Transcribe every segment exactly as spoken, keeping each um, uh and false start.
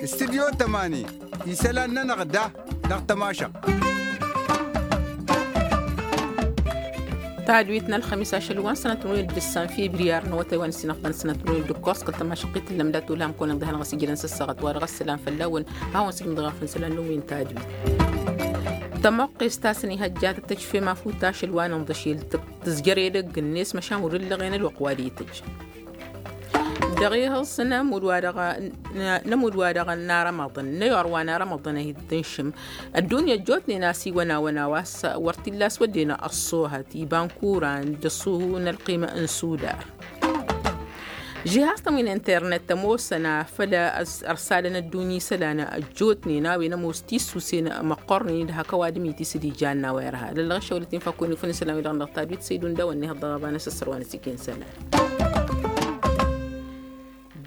Studyo tămani isălan-nănăɣ da dăɣ-tămašăɣt. Tadwit n-ălxămis ašăl wa n-sănăt n-win d-ǝssan fibriyar n-awătay wa n-ǝssinăɣ ta n-sănăt n-win d-ǝkkoẓ kăl-tămašăɣt-i tǝllăm dat-ulham kăwăn-ăɣ dăɣ-hanăɣ-ăsijrăn s-ăssaɣăt wa dăɣ-ăssălam fălla-wăn. Hawăn-sǝjmǝḍ ɣef n-isălan n-win tadwit. Tămoqqest a-s ănihăjjat d-tăjfem afut ašăl wa n-inḍăšel tǝzjăr edăgg-net măšan wăr-ǝllăɣen ălwăqq wa d-itǝjj. Dăɣ-ihǝẓ n-amud wa dăɣ-n n-amud wa dăɣ-n arămăḍăn n-ayor wa n-arămăḍăn a hi-dd-tǝnšǝm. Ăddunya ăjjootnen a-s iwănawăn a-wa s-a wăr t-illa a-s wădden ăṣṣoohăt iba n-kuran d-ăṣṣuhu n-ălqim n-sudar. Žihaz-tăn wi n-internet ămoosăn a făl ărsalăn ăddunya isălan ăjjootnen a-wen ămoos tissusen măqqornen d-hak ăwadǝm-i ti s-dd-ijanna wa irha lăllăɣ ăššăwălăt-in fakkun ifăn isălan wi-dăɣ n-dăɣ tadwit săydun d-a-wăn n-ihăḍ dăɣ-ăbanăs ăssărwanăt iken isălan.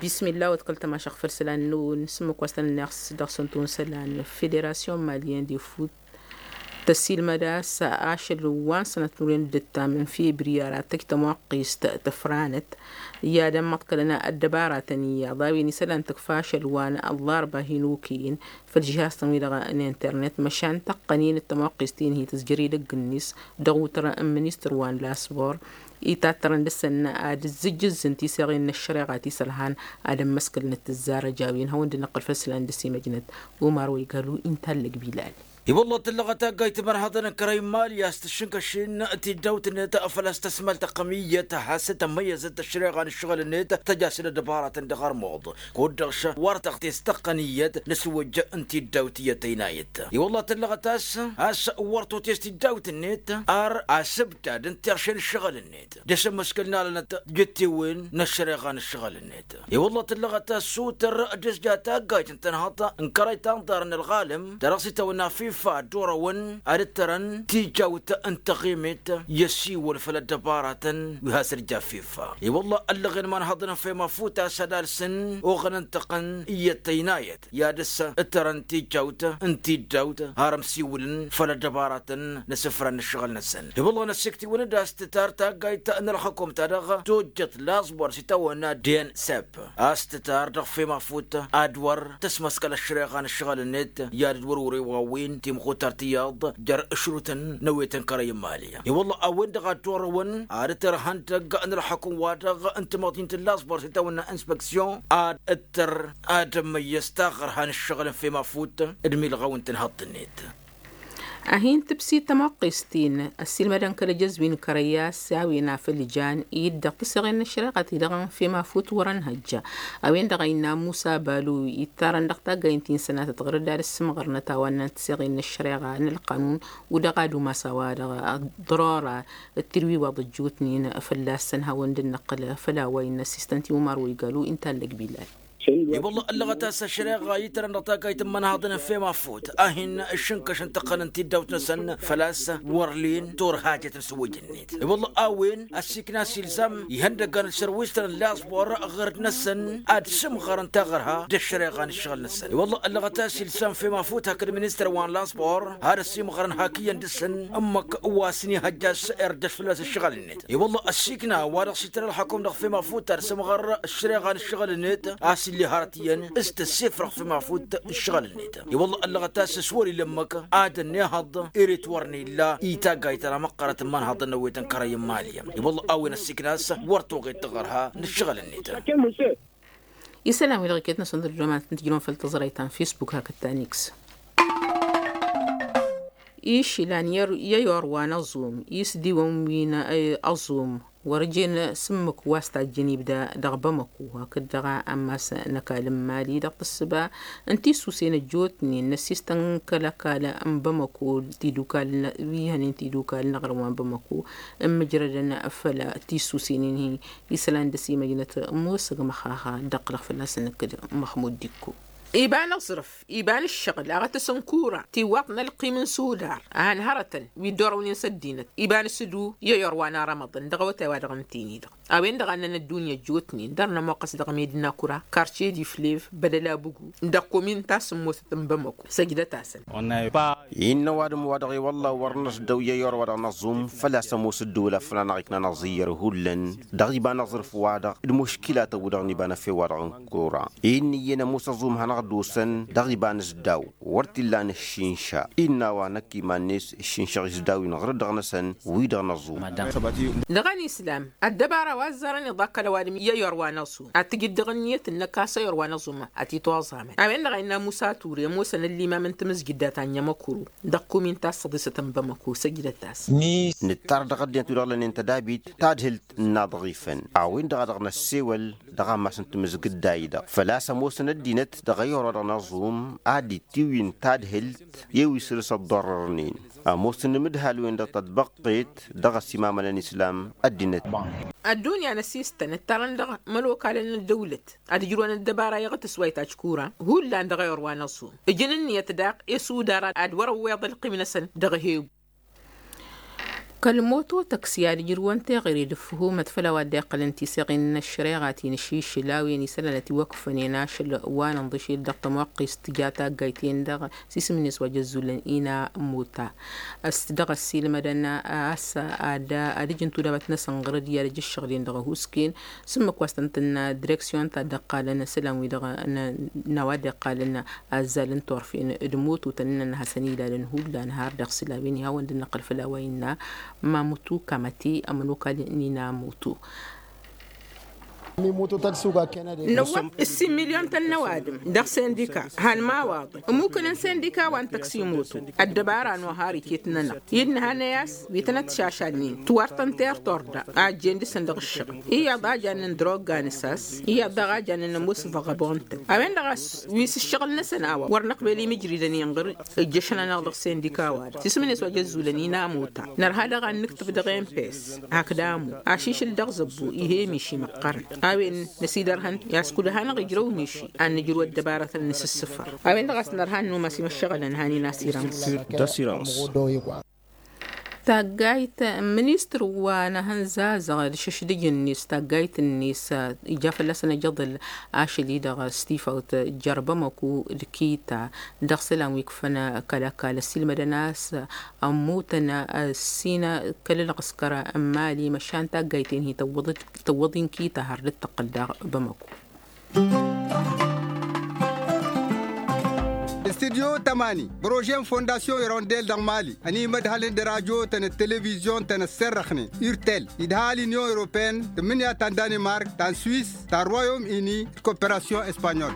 Bismillah wăt kăl-tămašăɣ făll-isălan n-ǝwǝn s-ǝmmǝk wa s-tăn-ănneɣ dăɣ-săn tun isălan federasyon malyen de fut tăsilmăd a-s ašăl wa n-sănăt n-urǝyăn d-ǝttam n-febriyar ad-tăj tămoqqist tǝfranăt i-ad-ămmăḍkălăn ăddăbaratăn iyyăḍ a-wen isălan tǝkfa ašăl wa n-ăllarba hin-okăyăn făll-žihaz-tăn-wi-dăɣ n-internet măšan tăqqăn-in d-tămoqqist-in hi-tǝzjăr edăgg-net dăɣ-utăr n-ministăr wa n-lasbor itattărăn dăɣ-săn ad-ǝzzǝjjǝzzǝn tiseɣen n-ăššăreɣa ti s-ălhan ad-ămmăskălnăt tǝzzarăj a-wen hawăn-dd-năqqǝl făll-isălan dăɣ-s imăjnăt. Umar wa igal u-inta allăg bilal. I-wălla tǝllăɣăt taggayt timărhaḍăn n-kărăy n-imali a-s tǝššǝnkăšin tiddawt-net făl-a-s tăsmăl tăqqăm iyyăt has-tămmăyyăzăt ăššăreɣa n-ǝššăɣǝl-net tăj-asǝl ăddăbaratăn dăɣ-armuḍ kud-dăɣ wăr tăɣ-t-s tăqqăn iyyăt n-ăswăjj n-tiddawt iyyăt ăynayăt. I-wălla tǝllăɣăt a-s a-s wăr tot-s tiddawt-net ar asǝbdad n-tirše n-ǝššăɣǝl-net dăɣ-s ămmăskăl n-alănăt jǝttewen n-ăššăreɣa n-ǝššăɣǝl-net. I-wălla tǝllăɣăt a-s sutăr d-ǝzja taggayt n-tănhăḍt n-kărăy tanḍar n-ălɣalăm ta dăɣ-s itawănna fifa ad-orăwăn ad-ǝttărăn tijawt n-taɣimet i-ăsiwăl făll-ăddăbaratăn wi has-dd-ja fifa. I-wălla ăllăɣen imanhăḍăn n-fem afut a-s ad-alsăn oɣăn ǝntăqqăn iyyăt ăynayăt i-ad-ǝttărăn tijawt n-tiddawt har ămsiwǝlăn făll-ăddăbaratăn n-asǝfran n-ǝššăɣǝl-năsăn. I-wălla năssiktǝwăn-dd a-s tǝtar taggayt n-ălxăkom ta dăɣ-tojjăt laẓbor s-itawănna densep a-s tǝtar dăɣ-fem afut ad-wăr tăsmăskăl ăššăreɣa n-ǝššăɣǝl-net i-ad-dd-wăr-wăr-e wa-wen timxutart iyyăḍ jer-ǝšrutăn n-ewet n-kărăy n-imali. I-wălla a-wen-dăɣ a t-orăwăn ad-ǝttăr ihăndăgg n-ălxăkum-wa-dăɣ n-tamăḍint n-laẓbor s-itawănna inspeksyon ad-ǝttăr ad-ămmăyyăz taɣărha n-ǝššăɣǝl n-fem afut d-milɣaw n-tǝnhăḍt-net. Ad-hin-tǝbsit tămoqqist-in ăssiilmădăn kăl-ejăzwi n-kărăy a-s a-wen afăl jan-dd dăɣ-tǝsseɣen n-ăššăreɣa-ti-dăɣ n-fem afut wăr-ănhăjja. A-wen-dăɣ a innă musa balu ittarăn dăɣ-taggaynt ti n-sănatăt ɣur-dd ad-ăssǝmɣărnăt a-wa n-tǝsseɣen n-ăššăreɣa n-ălqanun u-dăɣ ad-umas a-wa-dăɣ ăḍḍărora d-tirwiwaḍ ăjjootnen fălla-săn hawăn-dd-năqqǝl făll-a-wa innă ăssistăn timumar wa igalu inta allăg bilal. I-wălla ăllăɣăt a-s ăššăreɣa itărăn dăɣ-taggayt n-imănhaḍăn n-fem afut a hin-išǝnkăšăn tăqqăn n-tiddawt-năsăn făl-a-s wăr len turhajăt n-sǝwǝj-net. I-wălla a-wen ăssiikna s-ilzam ihăndăggan d-sărwistăn n-laẓbor ɣur-dd-năsăn ad-sǝmɣărăn taɣărha d-ăššăreɣa n-ǝššăɣǝl-năsăn. I-wălla ăllăɣăt a-s ilzam fem afut hakd ministăr wa n-laẓbor ad-ăsimɣărăn hak iyyăn dăɣ-săn ǝmmǝk wa s-nihăjja a-s irjăš fălla-s ǝššăɣǝl-net. I-wălla ăssiikna wa dăɣ-s ităr ălxăkum dăɣ-fem afut ad-sǝmɣăr ăššăreɣa n-ǝššăɣǝl-net a-s illi hărăt iyyăn s-tăssifrăɣ fem afut ǝššăɣǝl-net. I-wălla ăllăɣăt a-s s-wăr-ila ǝmmǝk ad-ănnihăḍ eret wăr n-illa i-taggayt ta dăɣ-măqqărăt n-imanhăḍăn n-ewet n-kărăy n-imali. I-wălla a-wen ăssiikna a-s wăr toɣed taɣărha n-ǝššăɣǝl-net. Isălan wi-dăɣ iket-năsăn d-ăddoman ad-tǝjrǝwăn făll-tăẓrayt ta n-fisbuk hakd ta n-iks. Išlan i-ayor wa n-aẓum isdiwăn wi n-aẓum wăr-jen s-ǝmmǝk wa s-tajjăn ibda dăɣ-bamăku hakd dăɣ-ammas n-ăkall n-imali dăɣ-tǝssǝba n-tisusen ăjjootnen n-ăssistăn kăl-ăkall n-bamăku tidukal wi hănen tidukal n-aɣrǝm wa n-bamăku ǝmmǝjrădăn făll-tisusen-in-hi. Isălan dăɣ-s imăjnăt musăg măxaxa dd-ăqqǝlăɣ fălla-săn ǝkkǝd măxmud dikko. Iba n-aẓrǝf, iba n-ǝššăɣǝl a ɣătăs n-kura tiwwaḍt n-ălqim n-sudar a hăn hărătăn wi dd-orăwnen s-ăddinăt iba n-asǝdu i-ăyorwa n-arămăḍăn dăɣ-awătay-wa-dăɣ n-tini-dăɣ. A-wen-dăɣ a ǝnnăn ăddunya ăjjootnen dăr-nămoqqăs dăɣ-medina kura karce d-iflev bădăl abugu dăɣ-komin ta s-ămmosăt n-bamăko. Săjdăt-asăn. Innă ăwadǝm wa dăɣ-ewălla wăr năsdăw i-ăyor wa dăɣ-năẓum făl-a-s ămoos ǝddǝwǝl a făl-anăɣ-iknăn aẓǝyyăr hullan dăɣ-iba n-aẓrǝf-wa-dăɣ d-muškilatăn-wi-dăɣ n-iba n-efew wa dăɣ-n kura. Innă iyyăn ămoos aẓum hanăɣ-dd-osăn dăɣ-iba n-asdaw wăr t-illa n-ǝššinša. Innă a-wa năkk iman-net ǝššinšăɣ isdawen ɣur-dd dăɣ-năsăn wi-dăɣ năẓum. Dăɣ-ănislam ăddăbara wa ăzzarăn iḍa kăl-ăwadǝm i-ăyor wa năẓum ad-tǝjǝd dăɣ-ǝnniyăt-năk a-s ăyor wa năẓum ad-t-itwaẓamăn. A-wen-dăɣ a innă musa ture ămoosăn ăllimam n-tamǝzjǝddat ta n-ămăkuru dăɣ-kumin ta s-tăḍisăt n-bamăko săjdăt-as. Nǝttar dăɣ-ăddinăt wi-dăɣ lănen tădabit tadhǝlt n-inaḍăɣifăn a-wen-dăɣ a dăɣ-năssewăl dăɣ-ammas n-tamǝzgǝdday-dăɣ făl-a-s ămoosăn ăddinăt dăɣ-ăyor wa dăɣ-năẓum ad-dd-tiwǝyǝn tadhǝlt i-wi săr-s ăḍḍorrărnen. Ămoosăn imǝdhal-wen-dăɣ tătbăqqet dăɣ-ăsimamăn n-islam ăddinăt. Ăddunya n-asistăn ǝttarăn dăɣ-imănokalăn n-ăddăwlăt ad-ǝjrǝwăn ăddăbara iɣtǝs wa itajj kura hullan dăɣ-ayor wa n-aẓum ǝjǝn ǝnniyăt daɣ i-sudar ad-wăr-ăwweḍ ălqim-năsăn dăɣ-ehewbu. Kăl-moto tăksi ad-ǝjrǝwăn teɣăre d-ǝffǝhumăt făll-a-wa dd-iqqălăn tiseɣin n-ăššăreɣa ti n-ašišǝl a-wen isălan ătiwăkfănen ašăl wa n-inḍǝšel dăɣ-tămoqqist tǝja taggayt-en-dăɣ s-isǝm-net wa jăzzulăn ina mota. S-dăɣ-ăssiilmădăn a-s ad-ǝjǝn tudabăt-năsăn ɣur-dd i-ad-ăj ǝššăɣǝl-in dăɣ-ehusken s-ǝmmǝk wa s-tăn-tǝnna direksyon ta dd-ăqqalăn isălan-wi-dăɣ n-a-wa dd-iqqalăn azzal n-turfen d-mututăn ǝnnăn ad-hasăn-ilalăn hullan har dăɣ-s ila-wen ihawăn dd-năqqăl făll-a-wa innă mamutu kamăti ămănokal n-ina mutu. Năwwăt ǝssin milyon-tăn n-ăwadǝm dăɣ-sindika han mawaḍăn ămmukăn n-sindika wa n-tăksimotu. Ăddăbara n-ohar iket-nănăɣ innă hanăy-as wi tănăt-šašalnen tiwartăn tertor da a ăjjeen dăɣ-săn dăɣ-ǝššăɣǝl iyyăḍ a jannen drogga n-asas iyyăḍ daɣ a jannen ămoos văɣăbon-tăn a-wen-dăɣ a-s wi s-ǝššăɣǝl-năsăn a-wa wăr năqbel imǝjridăn inɣăr. Ǝjjăšăn-anăɣ dăɣ-sindika-wa-dăɣ s-isǝm-net wa jăzzulăn inamota. Nărha daɣ ad-nǝktǝb dăɣ-empes hakd amu ašišǝl dăɣ-zăbbu ih' emiši măqqărăn a-wen năsidărhăn i-ad-s kud hanăɣ-ijrăw miši ad-nǝjrǝw ăddăbarătăn n-asǝssǝfăr. A-wen-dăɣ a-s nărha ad-numas imăššăɣǝlăn han inasirămǝs. Tasirămǝs. Taggayt ministăr wa n-ehăn zazăɣ d-išǝšdǝj-net taggayt-net ija fălla-săn ajăḍăl ašăl-i-dăɣ s-tifawt jer-bamăku d-kita dăɣ-isălan wi ikfăn kăl-ăkall ăssiilmădăn a-s ămmutăn ăssină kăl-ălɣǝskăr n-mali măšan taggayt-en hi-tăwwăḍ-in kita har dd-tăqqǝl daɣ bamăku. Studyo tămani prože n-fondasyon irondel dăɣ-mali ănimădhălăn d-radyo-tăn d-televizyon-tăn ăssărrăxnen urtel idha l-inyon europeen tǝmmǝnǝya ta n-danimark ta n-swis ta n-royom ini d-koperasyon espanyol.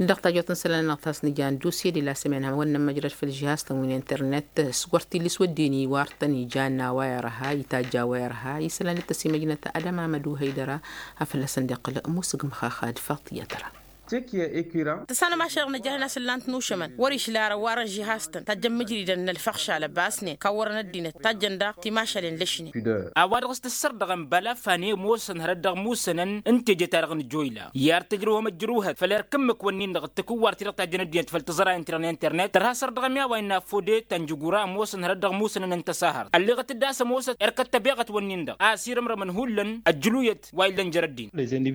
Dăɣ-tajot n-isălan-năɣ ta s-nǝja n-dusye di la sămen hawăn-nămmăjrăd făll-žihaz-tăn wi n-internet s-wăr t-illa s-wădden iwartăn ijan n-a-wa irha itajj a-wa irha isălan d-tăsimăjnăt adămamăd uhăydăra. Afăl-năsăn dd-iqqăl musǝg măxaxa d-faḍt i-ad-tăra. Tăsanăm ašăl-năj a hin-asǝllan-t n-ušămăn wăr-išla arăwarăn žihaz-tăn tajjăn mǝjridăn n-ălfăɣšal ăbbasnen kawwărăn ăddinăt tajjăn daɣ timašalen lăšnen. A-wa dăɣ-s tǝssărdăɣăn băla fane ămoosăn hărăt dăɣ-musănăn n-teje-ta-dăɣ n-joyla i-ad-tǝjrǝwhăm ăjrǝwhăt făll-erk ǝmmǝk-wăn-in-dăɣ d-takǝwwart-i-dăɣ tajjăn ăddinăt făll-tiẓrayen-ti-dăɣ n-internet tărha săr dăɣ-ămi a-wa innă fode ta n-jǝgura ămoosăn hărăt dăɣ-musănăn n-tăsahărt ălleɣăt-dd a-s ămoosăt erk ăttăbeɣăt-wăn-in-dăɣ a-s irǝmrămăn hullan ăjjǝluyăt wa illăn jer-ăddin.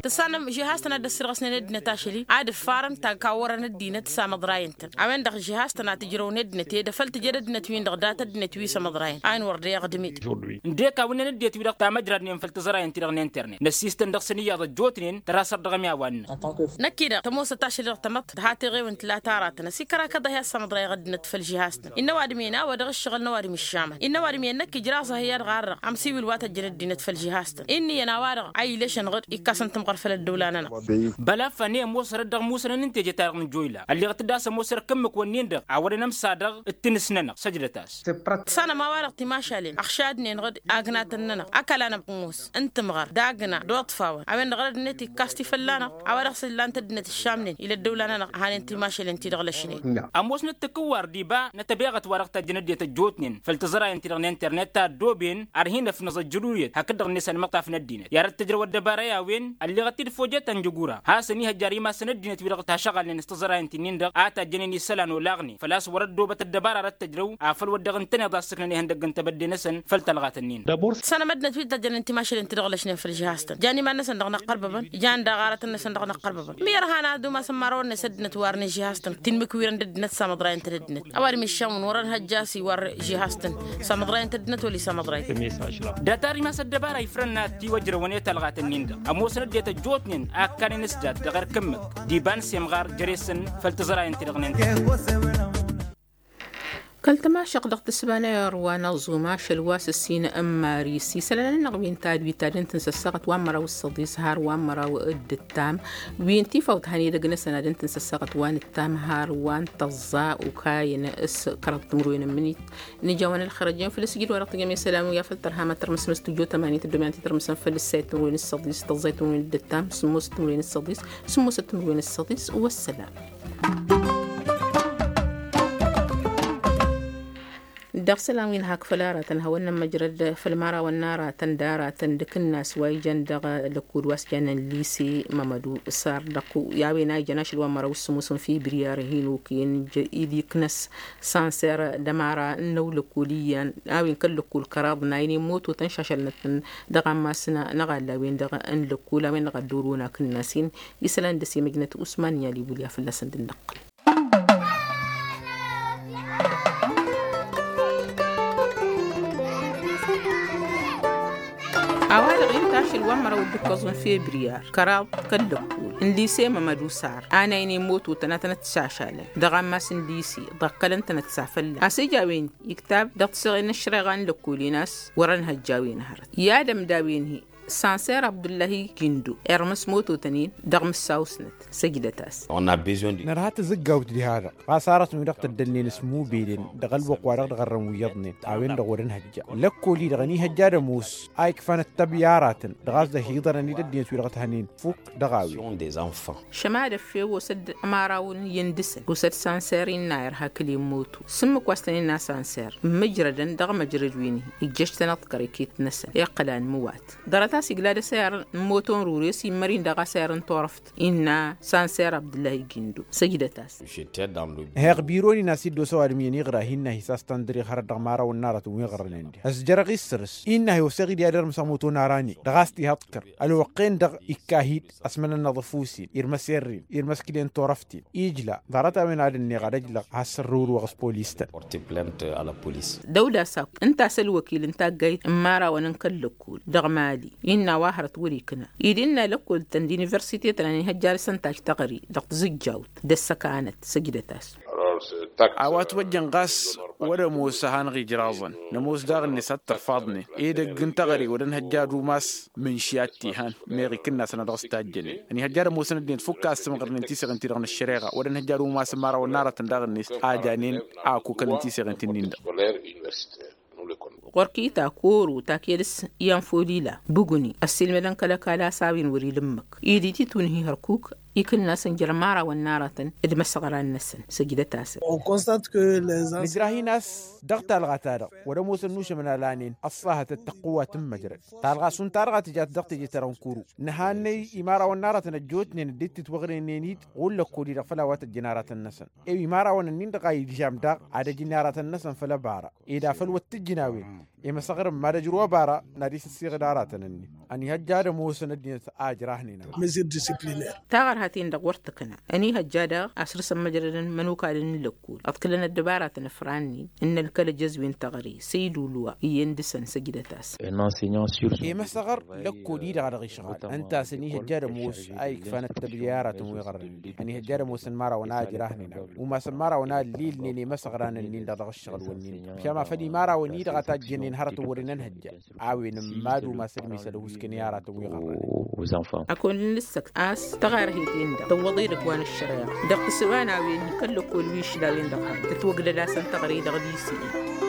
Tǝssanăm žihaz-tăn a dd-ăssirɣăsnen ăddinăt ašăl-i ad-ǝffarăn ta n-kawwărăn ăddinăt s-amăḍrayăn-tăn a-wen-dăɣ žihaz-tăn a tǝjrăwăn ăddinăt i-dd-afăl tǝjăd ăddinăt-win-dăɣ dat-ăddinăt wi s-amăḍrayăn a-wen wăr deɣ d-mid. Ǝndek a-wen ăddinăt-wi-dăɣ tamăjradnen făll-tiẓrayen-ti-dăɣ n-internet năssistăn dăɣ-săn iyyăḍ ăjjootnen tăra săr dăɣ-ămi a-wa ǝnnăn. Năkk-i-dăɣ tămoosăt ašăl-i-dăɣ tămăḍt tǝha teɣewen tǝla tara-tăn ăsikăr akăḍ a hi-assamăḍrayăɣ ăddinăt făll-žihaz-tăn. Innă ăwadǝm-en a-wa dăɣ-ǝššăɣǝl n-ăwadǝm iššamăn innă ăwadǝm-en năkk ijraẓ-ahi ad-ɣarrăɣ amsiwǝl wa tăjjăn ăddinăt făll-žihaz-tăn. Inn'-iyyăn a-wa-dăɣ a ilăšăn ɣǝr-ikkasăn tǝmɣăr făll-ăddăwla-nănăɣ. Băla fănne ămoos. dăɣ-musănăn n-teje-ta-dăɣ n-joyla ălleɣăt-dd a-s ămoos ărkămmǝk wănnen-dăɣ a wăren ămsa dăɣ-t-tǝnǝs-nănăɣ săjdăt-as. Tǝssănăm a-wa-dăɣ timašalen ăɣšadnen-dăɣ agnatăn-nănăɣ ăkall-anăɣ ămoos n-timɣăr d-agna d-oḍfawăn a-wen-dăɣ ăddinăt ikkas-t-i fălla-năɣ. A-wa dăɣ-s ǝllan-t ăddinăt ǝššamnen ila ăddăwla-nănăɣ hanen timašalen-ti-dăɣ lăšnen. Ămoosnăt takǝwwar d-iba n-ătabeɣăt wa dăɣ-tajjăn ăddinăt ăjjootnen făll-tiẓrayen-ti-dăɣ n-internet ta ăddooben ar hin-ăfnăẓ ăjjǝluyăt hakd-dăɣ-net ănmăɣtaf n-ăddinăt i-ad-ăttăjrăw ăddăbara i-a-wen. Ălleɣăt-dd fojăt ănjăgura hasăn-ihăjja ar imasăn ăddinăt-wi-dăɣ tašăɣalnen s-tiẓrayen ti-nin-dăɣ a tajjănen isălan olaɣnen făl-a-s wăr-ăddoobăt ăddăbara ar ăttăjrăw afăl wăr dăɣ-ǝntăneḍ a ǝssǝknăn ihăndăgg n-tebădde-năsăn. Făll-talɣat-nin-dăɣ sănăm ăddinăt wi tajjănen timašalen ti-dăɣ lăšnen făll-žihaz-tăn jan iman-năsăn dăɣ-năqqărbăbăn jan daɣ aratăn-năsăn dăɣ-năqqărbăbăn. Mi ărhan ad-umasăn imărawăn-net ăddinăt warnen žihaz-tăn ti n-imǝkwirăn d-ăddinăt samăḍrayăn-tăn ăddinăt a-wa d-miššămăn wăr-ănhăjja a-s iwar žihaz-tăn samăḍrayăn-tăn ăddinăt wăla isamăḍrayăn-tăn. Dat-ar imas ăddăbara ifrăn n-ad-t-iwăjrăwăn i-talɣat-nin-dăɣ ămoosăn ăddinăt ăjjootnen a ǝkkanen s-dat dăɣ-erk ǝmmǝk d-iba n-semɣar jere-săn. Făll-tiẓrayăn-ti-dăɣ n-enter. Kăl-tămašăɣt dăɣ-tǝsba n-ayăr wa n-aẓum ašăl wa s-ǝssin n-maris isălan-nănăɣ wi n-tadwit ad-ǝntǝn s-ăssaɣăt wa n-măraw s-săḍis har wa n-măraw d-ǝttam wi n-tifawt han edăgg-năsăn ad-ǝntǝn s-ăssaɣăt wa n-ǝttam har wa n-tăẓẓa ukayăn s-kăraḍ timǝrwen n-imǝnit. Nǝja wa n-ălxărăj-en făll-asǝjǝd wa dăɣ-tǝjăm isălan wi afăl tărha ma tărmǝsnăs tǝjot ămanit d-domin ad-t-tărmǝsăn făll-ǝssayăt timǝrwen s-săḍis tăẓẓayăt timǝrwen s-săḍis sǝmmosăt timǝrwen s-săḍis sămmosăt timǝrwen s-săḍis. Wăssălam. Dăɣ-isălan wi n-hak făll-aratăn hawăn-nămmăjrăd făll-imărawăn n-aratăn d-aratăn d-akǝnnas wa ijăn dăɣ-lăkkud wa s-jannen lise mămădu sar dăɣ-i a-wen a ijăn ašăl wa n-măraw s-sămoos n-fibriyar hin-okăyăn ija-dd iknăs sanser d-ămăra n-ăwlăkkul iyyăn a-wen kăl-lăkkul kăraḍ n-a inen moto tăn-šašălnăt-tăn dăɣ-ammas n-aɣalla a-wen-dăɣ n-lăkkul a-wen-dăɣ a dd-orăwăn akǝnnas-in. Isălan dăr-s imăjnăt usman n-i-ad-ibulya fălla-săn d-ǝnnăqqǝl. A-wa-dăɣ int' ašăl wa n-măraw d-ǝkkăẓ n-febriyar kăraḍ kăl-lăkkul n-lise mămădu sar a n-a inen moto tănatăn ătsašalăn dăɣ-ammas n-lise ḍakkălăn-tăn ătsafălla a-s ija a-wen iktab dăɣ-tiseɣen n-ăššăreɣa n-lăkkul-in a-s wăr-ănhăjja a-wen hărăt i-ad-ămda a-wen-hi. Sanser abdullahi gindo irmǝs mototăn-in dăɣ-mǝssaw-snăt. Săjdăt-as. Nărha tǝzǝggawt diha-dăɣ ɣas arătăn-wi-dăɣ tăddălnen s-mubelen dăɣ-ălwăqq-wa-dăɣ dăɣ-ărrăn wi iyyăḍnen a-wen-dăɣ wăr-ănhăjja lăkkol-i-dăɣ ănihăjja ad-ămoos a ikfan ăttăb i-aratăn dăɣ-a-s dăh-iḍărăn-dd ăddinăt-wi-dăɣ t-hănen fukk dăɣ-a-wen. Šăma d-ăffew osă-dd ămărawăn iyyăn dăɣ-săn osă-dd sanser innă irha kǝl-i n-moto sǝmmǝk wa s-tăn-innă sanser mǝjrădăn dăɣ-măjrăd wi n-hi ijjăš-tăn aḍkăr iket-năsăn iqqăl anmǝwat. Ḍarăt-as igla d-asăyar n-moto n-rure s-immăr-in daɣ asăyar n-turăft innă sanser abdǝllahi gindo. Săjdăt-as. Heɣ biron-in a-s dd-osa ăwadǝm iyyăn iɣra-hi innă-hi s-a-s tăn-dăr-iɣ hărăt dăɣ-imărawăn n-aratăn wi ɣărrănen diha ăzjărăɣ-i s-săr-s innă-hi osăɣ-i d-iadărmǝs ămoto n-arani dăɣ-a-s t-iha aḍkăr ălwăqq-en-dăɣ ikka-hi-dd. Ăsmănănnăḍ ăfuss-in irmăs err-in irmăs kǝlen turăft-in ijla. Ḍarăt-a-wen ad-ănneɣ ad-ăjlăɣ has-sărrǝwǝlwăɣ s-polis-tăn. Dăw-dd-as akk ǝnta a-s ălwăkil n-taggayt n-imărawăn n-kăl-lăkkol dăɣ-mali innă a-wa hărăt wăr-ikna ed innă lăkkol-tăn d-universite-tăn ănihăjja dăɣ-săn taj taɣăre dăɣ-tizǝjjawt d-ăssăkanăt. Săjdăt-as. A-wa ătwăjjăn ɣas wăr-ămoos a hanăɣ-ijraẓăn nămoos daɣ-net ad-t-ărfaḍnen edăgg n-taɣăre wăr ănhăjja ad-umas mǝnši ad-t-ihan meɣ ikǝnnasăn a dăɣ-s tajjănen ănihăjja ad-ămoosăn ăddinăt fukk a ăssǝmɣărnen tiseɣen-ti-dăɣ n-ăššăreɣa wăr-ănhăjja ad-umasăn imărawăn n-aratăn daɣ-net a janen. Akukăn n-tiseɣen-ti-nin-dăɣ. Ɣur-kita koro taked s-iyan folila buguni ăssiilmădăn kăl-ăkall a-s a-wen wăr-ila ǝmmǝk ed ititun-hi hărkuk ikǝnnasăn jer-imărawăn n-aratăn d-imăsăɣran-năsăn. Săjdăt-asăn. Nǝjrah-in a-s dăɣ-talɣa-ta-dăɣ wăr-ămoosăn nušămăn alanen ăṣṣahăt d-tăqqǝwat n-măjrăd talɣa šund talɣa tǝjat dăɣ-teje-ta-dăɣ n-kuru. Nǝhannăy imărawăn n-aratăn ăjjootnen dd-titwăɣrǝynen-dd ɣur-lăkkol-i-dăɣ făll-a-wa tăjjăn aratăn-năsăn i-imărawăn-ǝnnin-dăɣ a ilžam daɣ ad-ăjǝn i-aratăn-năsăn făll-ăbara ed afăl wăr t-ǝjjǝn a-wen. Imăsăɣrǝm mad-ăjrǝw ăbara n-ad-isǝssiɣǝd aratăn-ǝnnin ănihăjja ad-ămoosăn ăddinăt a ǝjrahnen. Măsir discipliner. Taɣărhaten-dăɣ wăr tǝkna ănihăjja daɣ asrǝsăn măjrădăn mănokadăn n-lăkkol ăḍkǝlăn ăddăbaratăn ăfrannen n-ălkăl ăjăzwen taɣre săydulwa iyyăn dăɣ-săn. Săjdăt-as. Imăsăɣăr lăkkol-i-dăɣ a dăɣ-išɣal ǝnta a-s ănihăjja ad-ămoos a ikfan ăttăbri i-aratăn wi ɣărrăn ănihăjja ad-ămoosăn imărawăn a ǝjrahnen a-wen umasăn imărawăn a ǝllilnen i-imăsăɣran-ǝnnin-dăɣ dăɣ-ǝššăɣǝl-wǝnnin-dăɣ. Šăma făll-imărawăn-i-dăɣ a tajjănen hărătăn wăren ănhăjja a-wen ǝmma d-umas ădmesăl ăhuuskăn i-aratăn wi ɣărrăn. Ăkund n-ǝssăkt a-s tăɣarhit Tăwwăḍ-e-dăgg wa n-ǝššăreɣ dăɣ-tǝssǝba n-a-wen-hi kăl-lăkkol wi ǝšlawen dăɣ-hărăt tǝtwăgdăd-asăn teɣăre dăɣ-disi-i.